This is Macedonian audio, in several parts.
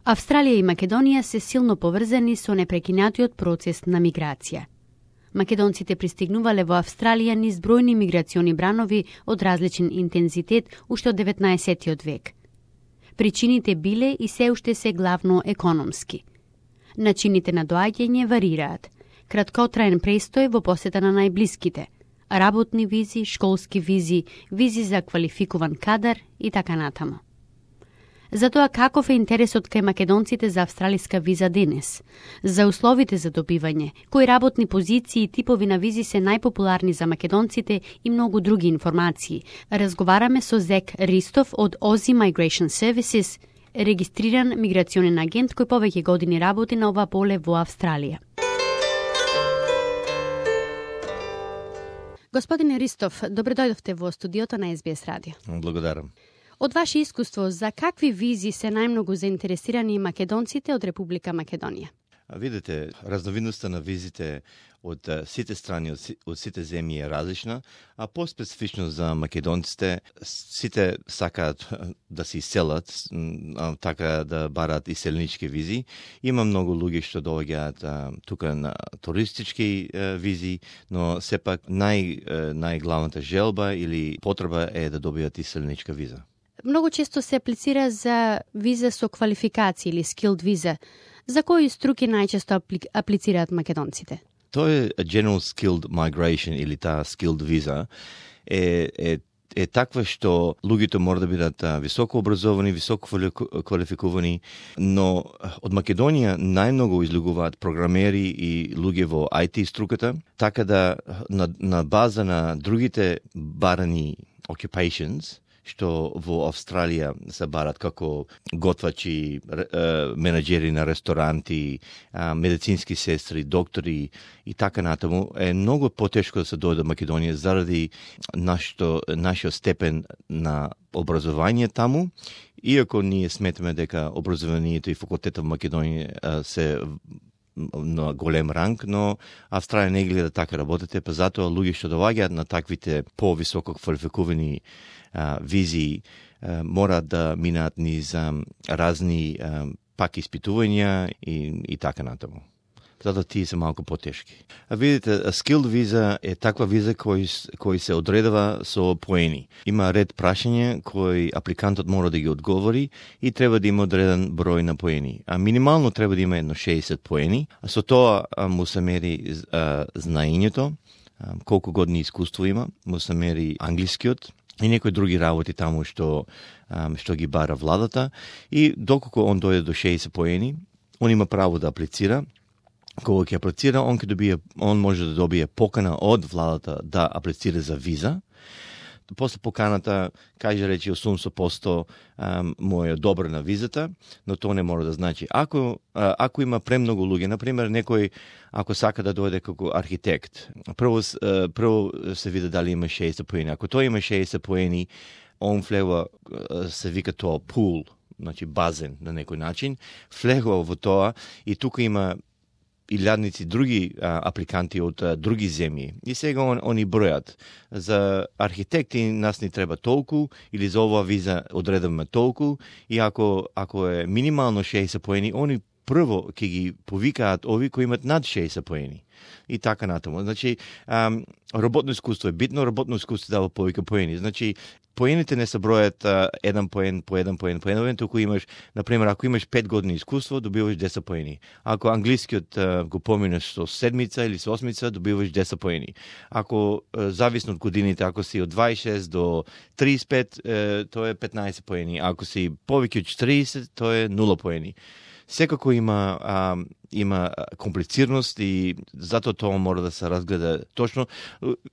Австралија и Македонија се силно поврзани со непрекинатиот процес на миграција. Македонците пристигнувале во Австралија низ бројни миграциони бранови од различен интензитет уште од 19 век. Причините биле и се уште се главно економски. Начините на доаѓање варираат. Краткотраен престој во посета на најблиските, работни визи, школски визи, визи за квалификуван кадар и така натаму. Затоа каков е интересот кај македонците за австралиска виза денес? За условите за добивање, кои работни позиции и типови на визи се најпопуларни за македонците и многу други информации. Разговараме со Зек Ристов од Aussie Migration Services, регистриран миграционен агент кој повеќе години работи на ова поле во Австралија. Господине Ристов, добре дојдовте во студиото на SBS радио. Благодарам. Од ваше искуство, за какви визи се најмногу заинтересирани македонците од Република Македонија? Видите, разновидноста на визите од сите страни, од сите земји е различна, а поспецифично за македонците, сите сакаат да се иселат, така да барат иселнички визи. Има многу луѓе што доаѓаат тука на туристички визи, но сепак најглавната желба или потреба е да добијат иселничка виза. Многу често се аплицира за виза со квалификации или skilled виза. За кои струки најчесто аплицираат македонците? Тоа е General Skilled Migration или таа skilled виза е таква што луѓето мора да бидат високо образовани, високо квалификувани, но од Македонија најмногу излегуваат програмери и луѓе во IT струката, така да на база на другите барани occupations, што во Австралија се барат како готвачи, менаџери на ресторанти, медицински сестри, доктори и така натаму, е многу потешко да се дојде до Македонија заради нашиот степен на образование таму, иако ние сметаме дека образованието и факултетот во Македонија се на голем ранг, но Австралија не гледа така работите, па затоа луѓе што доаѓаат на таквите повисоко квалификувани визии мораат да минаат низ разни пак испитувања и така натаму. Затоа тие се малку потешки. А видите, skilled виза е таква виза кој се одредува со поени. Има ред прашања кои апликантот мора да ги одговори и треба да има одреден број на поени. А минимално треба да има едно 60 поени. А со тоа му се мери знаењето, колку години искуство има, му се мери англискиот и некои други работи таму што ги бара владата, и доколку он дојде до 60 поени, он има право да аплицира. Кога ќе аплицира, он може да добие покана од владата да аплицира за виза. После поканата, каже речи 80% му е одобрена визата, но тоа не мора да значи. Ако има премногу луѓе, например, некој ако сака да дојде како архитект, прво се види дали има 60 поени. Ако тој има 60 поени, он влева, се вика тоа пул, значи базен на некој начин, влегува во тоа и тука има илјадници други апликанти од други земји. И сега они бројат. За архитекти нас ни треба толку, или за оваа виза одредуваме толку, и ако е минимално 60 поени, они прво ќе ги повикаат ови кои имат над 60 поени. И така натаму. Значи, работно искуство е битно, работно искуство дава повеќе поени. Значи, поените не се бројат еден поен по еден поен, туку имаш, например, ако имаш 5 години искуство, добиваш 10 поени. Ако англискиот го поминеш со седмица или со осмица, добиваш 10 поени. Ако зависно од годините, ако си од 26 до 35, тоа е 15 поени. Ако си повеќе од 40, тоа е 0 поени. Секако има комплицираност и затоа тоа мора да се разгледа точно.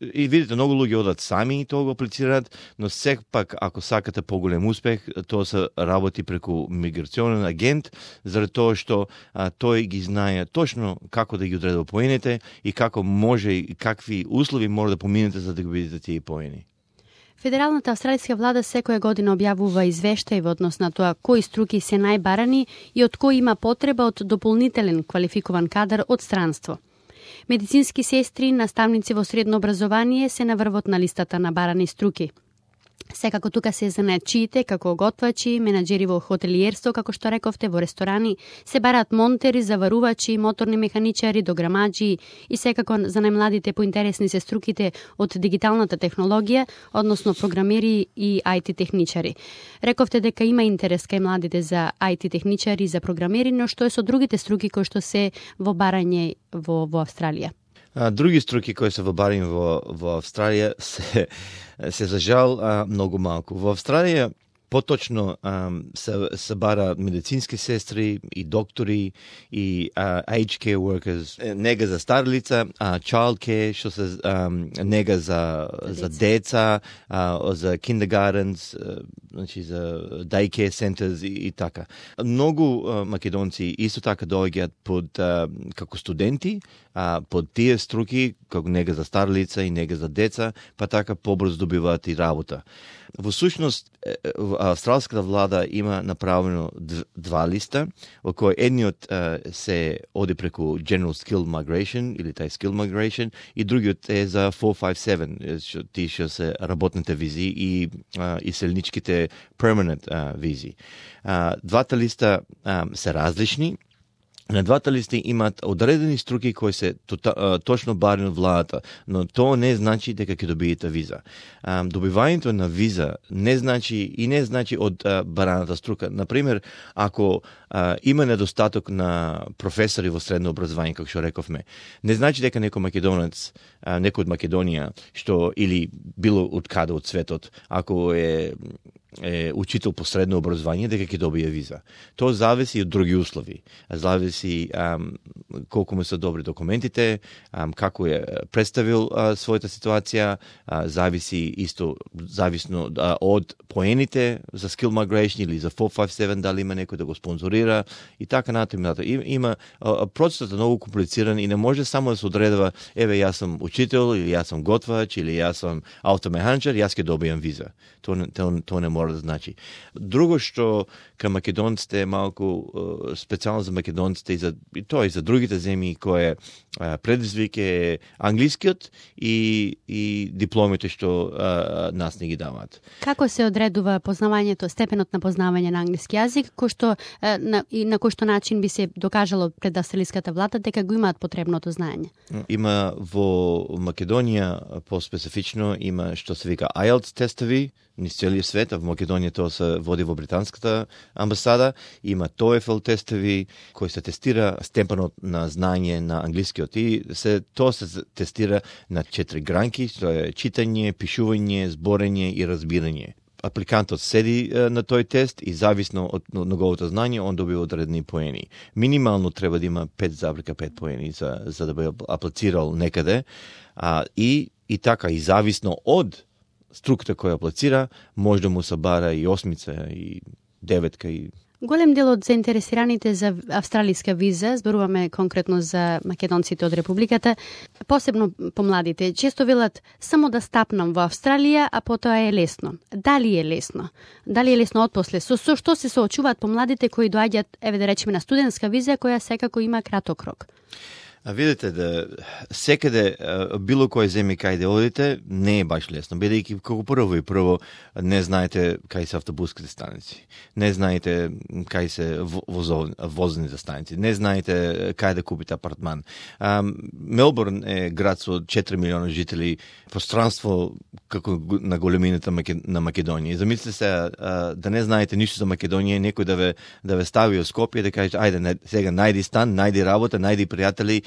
И видите, многу луѓе одат сами и тоа го аплицираат, но сепак ако сакате поголем успех, тоа се работи преку миграционен агент, заради тоа што тој ги знае точно како да ги одредува поените и како може и какви услови мора да поминете за да ги видите тие поени. Федералната австралиска влада секоја година објавува извештај во однос на тоа кои струки се најбарани и од кои има потреба од дополнителен квалификуван кадар од странство. Медицински сестри, наставници во средно образование се на врвот на листата на барани струки. Секако тука се занаечиите, како готвачи, менаџери во хотелиерство, како што рековте, во ресторани, се бараат монтери, заварувачи, моторни механичари, дограмаджи и секако за најмладите поинтересни се струките од дигиталната технологија, односно програмери и IT техничари. Рековте дека има интерес кај младите за IT техничари, за програмери, но што е со другите струки кои што се во барање во Австралија? Други струки кои се во барање во Австралија се за жал многу малку. Во Австралија поточно се бара медицински сестри и доктори и aged care workers, нега за стари лица, child care, што се нега за деца, за kindergartens, значи за daycare centers и така. Многу македонци исто така доаѓаат под како студенти, под тие струки, како нега за стари лица и нега за деца, па така побрзо добиваат и работа. Во сушност, австралската влада има направено два листа, во кој едниот се оди преку General Skill Migration, или тај Skill Migration, и другиот е за 457, тие што се работните визи и селничките permanent визи. Двата листа се различни. На двата листи имаат одредени струки кои се точно барани од владата, но тоа не значи дека ќе добиете виза. Добивањето на виза не значи од бараната струка. Например, ако има недостаток на професори во средно образование, како што рековме, не значи дека некој македонец, некој од Македонија, што или било од каде од светот, ако е учител по средно образование, дека ќе добие виза. Тоа зависи од други услови. Зависи колку му се добри документите, како е представил својата ситуација, зависно од поените за Skill Migration или за 457, дали има некој да го спонзорира и така натаму. Има процесот е многу комплициран и не може само да се одредува, еве јас сум учител или јас сум готвач или јас сум автомеханичар, јас ќе добијам виза. Тоа не може да значи. Друго што кај македонците малку специјално за македонците и тоа и за другите земји кое предизвик е англискиот и дипломите што нас не ги даваат. Како се одредува познавањето, степенот на познавање на англиски јазик, на кој што начин би се докажало пред австралиската влада дека го имаат потребното знаење? Има во Македонија поспецифично има што се вика IELTS тестови низ целиот свет, а во Македонија тоа се води во британската амбасада, има TOEFL тестови кои се тестира степенот на знаење на англискиот и тоа се тестира на 4 гранки, што е читање, пишување, зборење и разбирање. Апликантот седи на тој тест и зависно од неговото знање, он добива одредени поени. Минимално треба да има 5,5 поени за да биде аплицирал некаде, и така, и зависно од структура која аплицира, може да му се бара и 8 и 9 и... Голем дел од заинтересираните за австралиска виза, зборуваме конкретно за македонците од Републиката, посебно помладите, често велат само да стапнам во Австралија, а потоа е лесно. Дали е лесно? Дали е лесно отпосле? Со што се соочуваат помладите кои доаѓаат, еве да речеме, на студентска виза, која секако има краток рок? Видите да секаде било кој земји кај да одите не е баш лесно, бидејќи како прво не знаете кај се автобуските станици, не знаете кај се возните станици, не знаете кај да купите апартман. Мелбурн е град со 4 милиона жители, пространство како на големината на Македонија. Замислете се да не знаете ништо за Македонија, некој да ве стави во Скопје да каже ајде сега најди стан, најди работа, најди пријатели.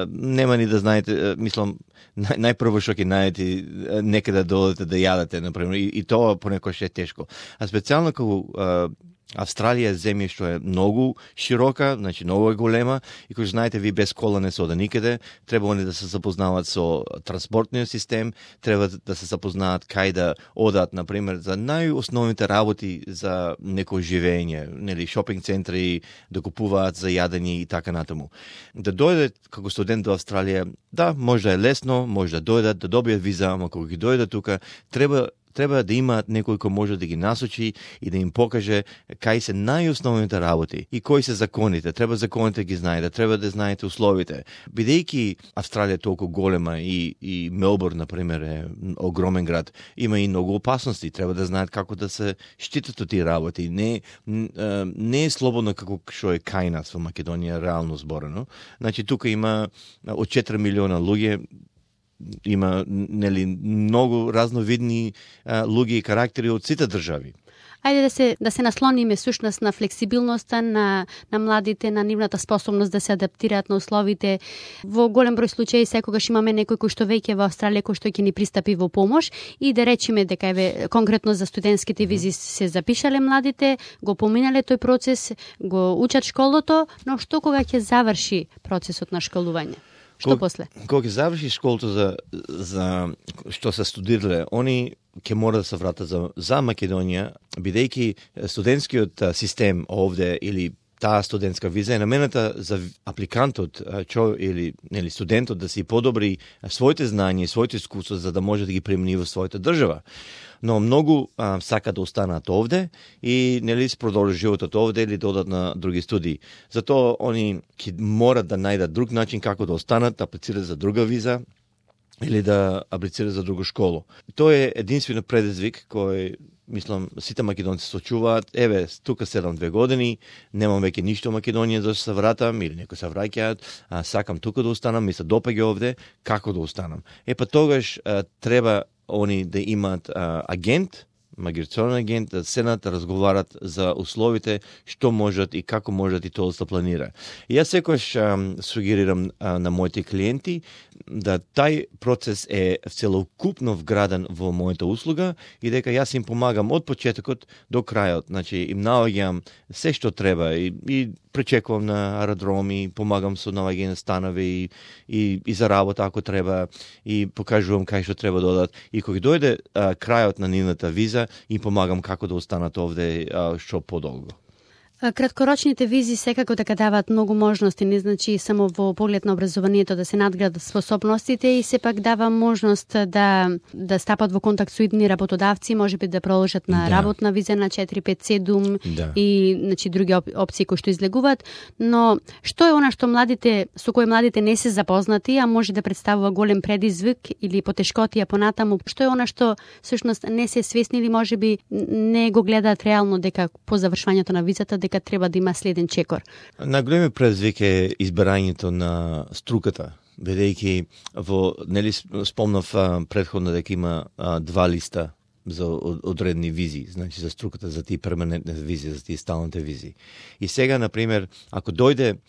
Нема ни да знаете, мислам, најпрво што ќе најдете некаде да одите да јадете, например, и тоа понекогаш е тешко. А специјално како Австралија е земја што е многу широка, значи многу е голема и кој знаете ви без кола не се ода никаде, треба да се запознаваат со транспортниот систем, треба да се запознаат кај да одат, например, за најосновните работи за некој живење, нели шопинг центри, да купуваат за јадење и така натаму. Да дојдат како студент до Австралија, да, може да е лесно, може да дојдат, да добијат виза, ама кога ги дојдат тука, треба треба да имаат некој кој може да ги насочи и да им покаже кај се најосновните работи и кои се законите. Треба законите ги знаете, треба да знаете условите. Бидејќи Австралија е толку голема и Мелбурн, например, е огромен град, има и многу опасности. Треба да знаат како да се штитат од тие работи. Не е слободно како што е кај нас во Македонија, реално зборено. Значи, тука има од 4 милиона луѓе, има многу разновидни луѓе и карактери од сите држави. Ајде да се наслониме сушност на флексибилноста на младите, на нивната способност да се адаптираат на условите. Во голем број случаи секогаш имаме некој кој што веќе во Австралија кој што ќе ни пристапи во помош и да речеме дека конкретно за студентските визи се запишале младите, го поминале тој процес, го учат школото, но што кога ќе заврши процесот на школување? Што после? Кога ќе заврши школото за што се студирале, они ќе мора да се вратат за Македонија, бидејќи студентскиот систем овде или таа студентска виза е намената за апликантот или студентот да си подобри своите знања и своите искуства за да може да ги примени во својата држава. Но многу сакаат да останат овде и се продолжи животот овде или да одат на други студии. Затоа они ќе морат да најдат друг начин како да останат, да аплицираат за друга виза или да аплицираат за друга школа. Тоа е единствено предизвик кој мислам сите македонци се очуваат. Еве, тука 7-2 години, немам веќе ништо во Македонија да се вратам или некои се враќаат, сакам тука да останам, ми се допаѓа овде, како да останам. Па тогаш треба они да имаат агент, миграционен агент, да седнат, да разговарат за условите, што можат и како можат и тоа да се планира. И јас секогаш сугерирам на моите клиенти да тај процес е целокупно вграден во мојата услуга и дека јас им помагам од почетокот до крајот. Значи, им наоѓам се што треба и пречекувам на аеродроми, помагам со наоѓање на станови и за работа ако треба и покажувам кај што треба да одат. И кога дојде крајот на нивната виза, им помагам како да останат овде што подолго. Краткорочните визи секако дека даваат многу можности, не значи само во поглед на образованието да се надградат способностите и сепак дава можност да стапат во контакт со идни работодавци, можеби да продолжат на работна виза на 4-5-7 и значи други опции кои што излегуваат, но што е она што со кој младите не се запознати, а може да представува голем предизвик или потешкотија понатаму, што е она што всушност не се свесни или можеби не го гледаат реално дека по завршувањето на визата дека треба да има следен чекор. Најголеми предизвик е избирањето на струката, бидејќи спомнав претходно дека има 2 листа за одредени визи, значи за струката, за тие перманентни визи, за тие сталните визи. И сега, например, ако дојде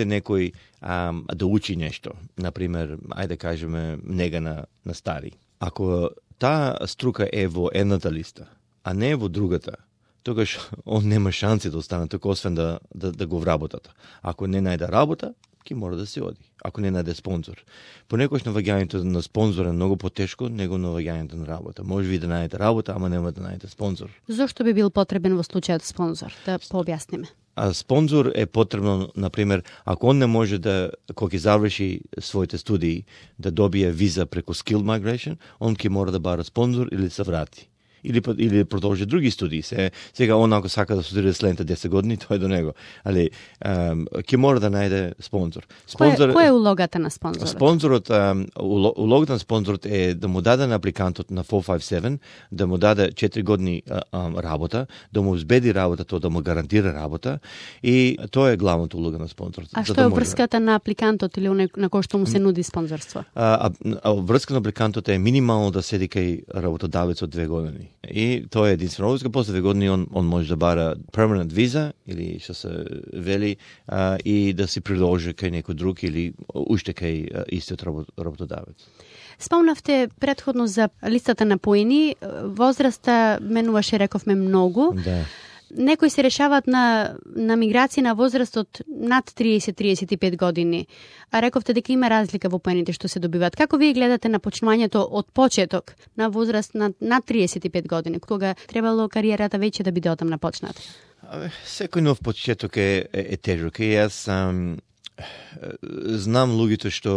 некој да учи нешто, например, ајде кажеме нега на стари, ако таа струка е во едната листа, а не во другата, тогаш он нема шанси да остане тука, освен да го вработат. Ако не најде работа, ќе мора да се оди. Ако не најде спонзор. Понекогаш наваѓањето на спонзор е многу потешко него наваѓањето на работа. Може би да најдете работа, ама нема да најдете спонзор. Зошто би бил потребен во случајот спонзор? Да пообјасниме. Спонзор е потребно, например, ако он не може да, кога ќе заврши своите студии, да добие виза преку Skilled Migration, он ќе мора да бара спонзор или се врати. Или продолжи други студии. Сега он ако сака да студира следните 10 години, тоа е до него. Али ќе мора да најде спонзор. Која е улогата на спонзорот? Улогата на спонзорот е да му даде на апликантот на 457, да му даде 4 години работа, да му избеди работа, тоа да му гарантира работа и тоа е главната улога на спонзорот. А што е врската на апликантот или на кој што му се нуди спонзорство? Врска на апликантот е минимално да седи кај работодавецот 2 години. И тоа е единствено врска, после 2 години он може да бара permanent виза или што се вели и да се продолжи кај некој друг или уште кај истиот работодавец. Спомнавте претходно за листата на поени, возраста менуваше, рековме, многу. Да. Некои се решаваат на миграција на возраст од над 30-35 години. А рековте дека има разлика во поените што се добиваат. Како вие гледате на почнувањето од почеток на возраст над 35 години, кога требало кариерата веќе да биде одамна почната? Секој нов почеток е тежок. И јас Знам луѓето што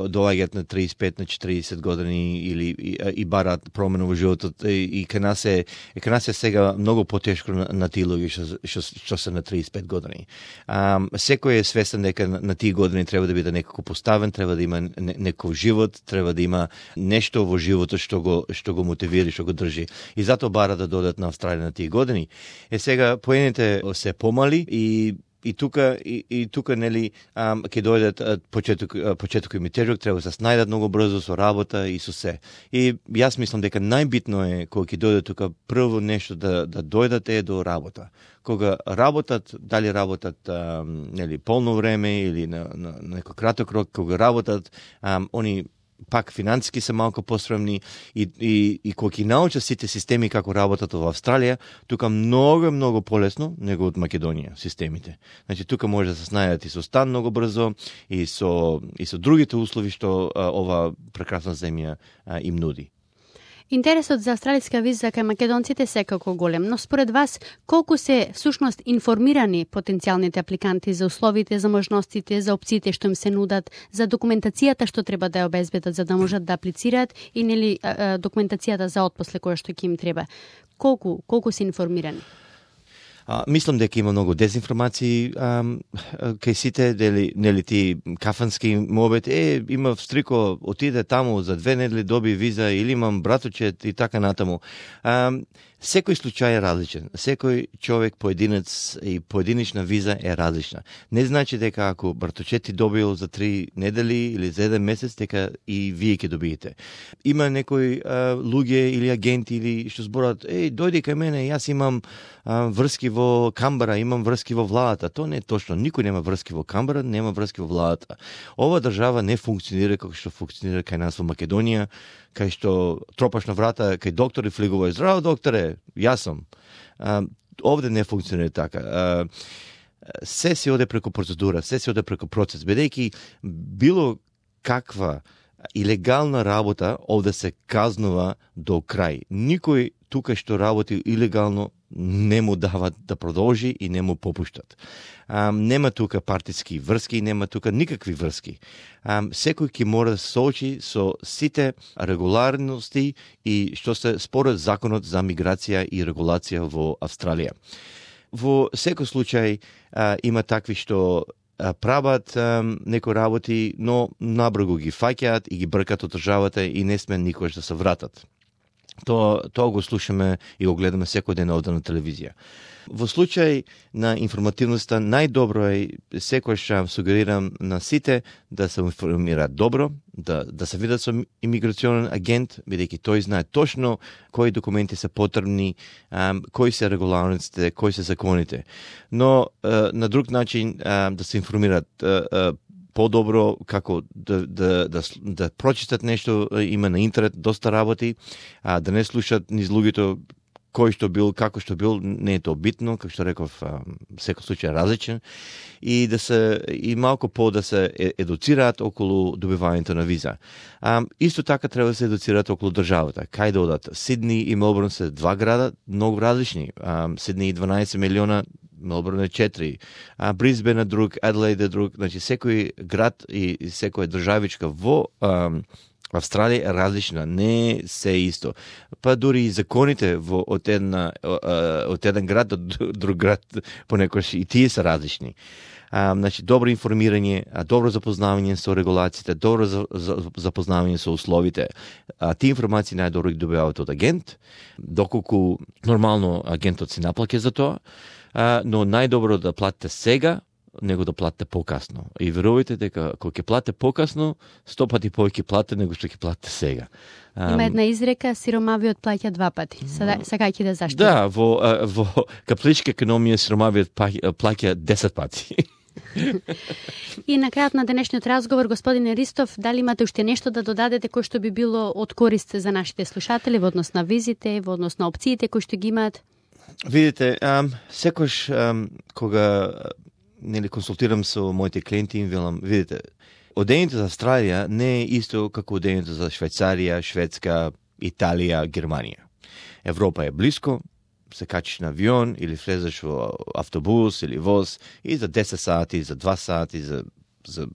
доаѓаат на 35 на 40 години или и бараат промена во животот и кај нас е сега многу потешко на тие луѓе што се на 35 години. Секој е свесен дека на тие години треба да биде некако поставен, треба да има некој живот, треба да има нешто во животот што го мотивира, што го држи. И затоа бара да додат на Австралија на тие години. Сега поените се помали и тука нели ќе дојдат почеток и тежок, треба да се снајдат многу брзо со работа и со се. И јас мислам дека најбитно е кога ќе дојдат тука прво нешто да дојдат е до работа. Кога работат, дали работат нели полно време или на некој краток рок, кога работат, они пак финансиски се малку посремни и кога ќе научат сите системи како работат во Австралија, тука многу полесно него од Македонија системите. Значи тука може да се снајдат и со стан многу брзо и со другите услови што ова прекрасна земја им нуди. Интересот за австралиска виза кај македонците секако голем, но според вас колку се всушност информирани потенцијалните апликанти за условите, за можностите, за опциите што им се нудат, за документацијата што треба да ја обезбедат за да можат да аплицираат и нели документацијата за отпосле која што ќе им треба. Колку се информирани? Мислам дека има многу дезинформации кај сите, нели ти кафански мобет, има встрико, отиде таму за 2 недели доби виза или имам браточет и така натаму. Секој случај е различен. Секој човек, поединец и поединична виза е различна. Не значи дека ако браточет ти добил за 3 недели или за 1 месец, дека и вие ќе добиете. Има некои луѓе или агенти или што зборат, дојди кај мене, јас имам врски во Камбара, имам врски во владата. Тоа не е точно. Никој нема врски во Камбара, нема врски во владата. Ова држава не функционира како што функционира кај нас во Македонија, кај што тропаш на врата, кај доктор и флигува, здраво докторе, јас сум. Овде не функционира така. Се се оде преку процедура, се се оде преку процес, бидејќи било каква илегална работа овде се казнува до крај. Никој тука што работи илегално не му дават да продолжи и не му попуштат. Нема тука партиски врски, нема тука никакви врски. Секој ќе мора да се соочи со сите регуларности и што се според законот за миграција и регулација во Австралија. Во секој случај има такви што прават некои работи, но набрзо ги фаќаат и ги бркат од државата и не сме никогаш да се вратат. Тоа го слушаме и го гледаме секој ден овде на телевизија. Во случај на информативноста, најдобро е, секојаш сугерирам на сите да се информираат добро, да се видат со имиграционен агент, бидејќи тој знае точно кои документи се потребни, кои се регуларностите, кои се законите. Но на друг начин да се информираат подобро, како да прочитат нешто, има на интернет доста работи, да не слушат низ луѓето кој што бил, како што бил, не е тоа битно, како што реков, секој случај е различен, и малку да се едуцираат околу добивањето на виза. Исто така треба да се едуцираат околу државата. Кај да одат? Сидни и Мелбурн се 2 града, многу различни. Сидни 12 милиона, Мелбурн е 4, Брисбен е друг, Аделаид е друг, значи секој град и секоја државичка во Австралија е различна, не се исто. Па дури и законите од еден град до друг град понекогаш и тие се различни. Значи добро информирање, добро запознавање со регулациите, добро запознавање со условите. Тие информации најдобро ги добиваат од агент, доколку нормално агентот си наплаќа за тоа, но најдобро да платите сега, него да платите покасно. И верувајте дека кога ќе платите покасно, 100 пати повеќе платите него што ќе платите сега. Има една изрека, сиромавиот плаќа 2 пати. Сега ќе да заштити. Да, во капиталистичка економија сиромавиот плаќа 10 пати. И на крајот на денешниот разговор, господине Ристов, дали имате уште нешто да додадете кој што би било од корист за нашите слушатели во однос на визите, во однос на опциите кои што ги имаат? Видите, секојаш кога консултирам со моите клиенти, им велам, видите, одењето за Австралија не е исто како одењето за Швајцарија, Шведска, Италија, Германија. Европа е блиско, се качиш на авион или влезеш во автобус или воз и за 10 сати, за 2 сати, за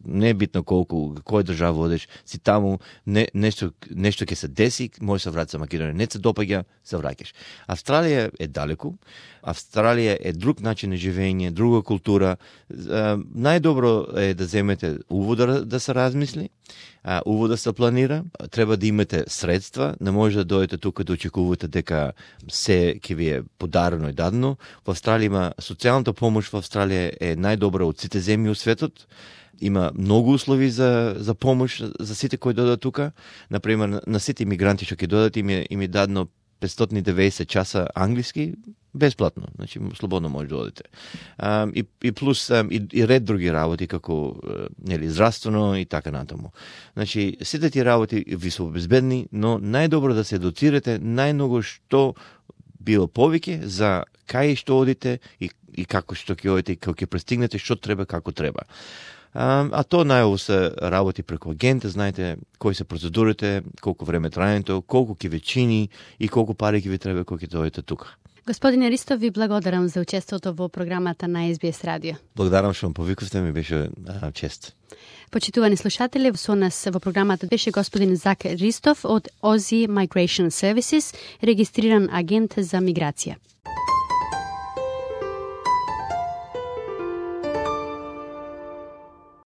не е битно колку, која држава одеш, си таму, нешто ќе се деси, може се врати за Македонија, не се допаѓа, се враќаш. Австралија е далеку, Австралија е друг начин на живење, друга култура. Најдобро е да земете увода да се размисли, увода се планира, треба да имате средства, не може да дојдете тука да очекувате дека се ќе ви е подарено и дадено. Во Австралија има социјалната помош, во Австралија е најдобра од сите земји во светот. Има многу услови за помош за сите кои додат тука. Например, на сите имигранти што ќе додат им е дадено 590 часа англиски бесплатно, значи слободно може да одите. И плюс и ред други работи како здравствено и така натаму. Значи сите тие работи ви се обезбедни, но најдобро да се едуцирате најмногу што било повеќе за кај што одите и како што ќе одите и како ќе пристигнете, што треба, како треба. А то најаво се работи преку агент, знаете кои се процедурите, колку време трајањето, колку ќе ве чини и колку пари ќе ви треба кога ќе дојдете тука. Господине Ристов, ви благодарам за учеството во програмата на SBS радио. Благодарам што ме повикавте, ми беше чест. Почитувани слушатели, со нас во програмата беше господин Зак Ристов од Aussie Migration Services, регистриран агент за миграција.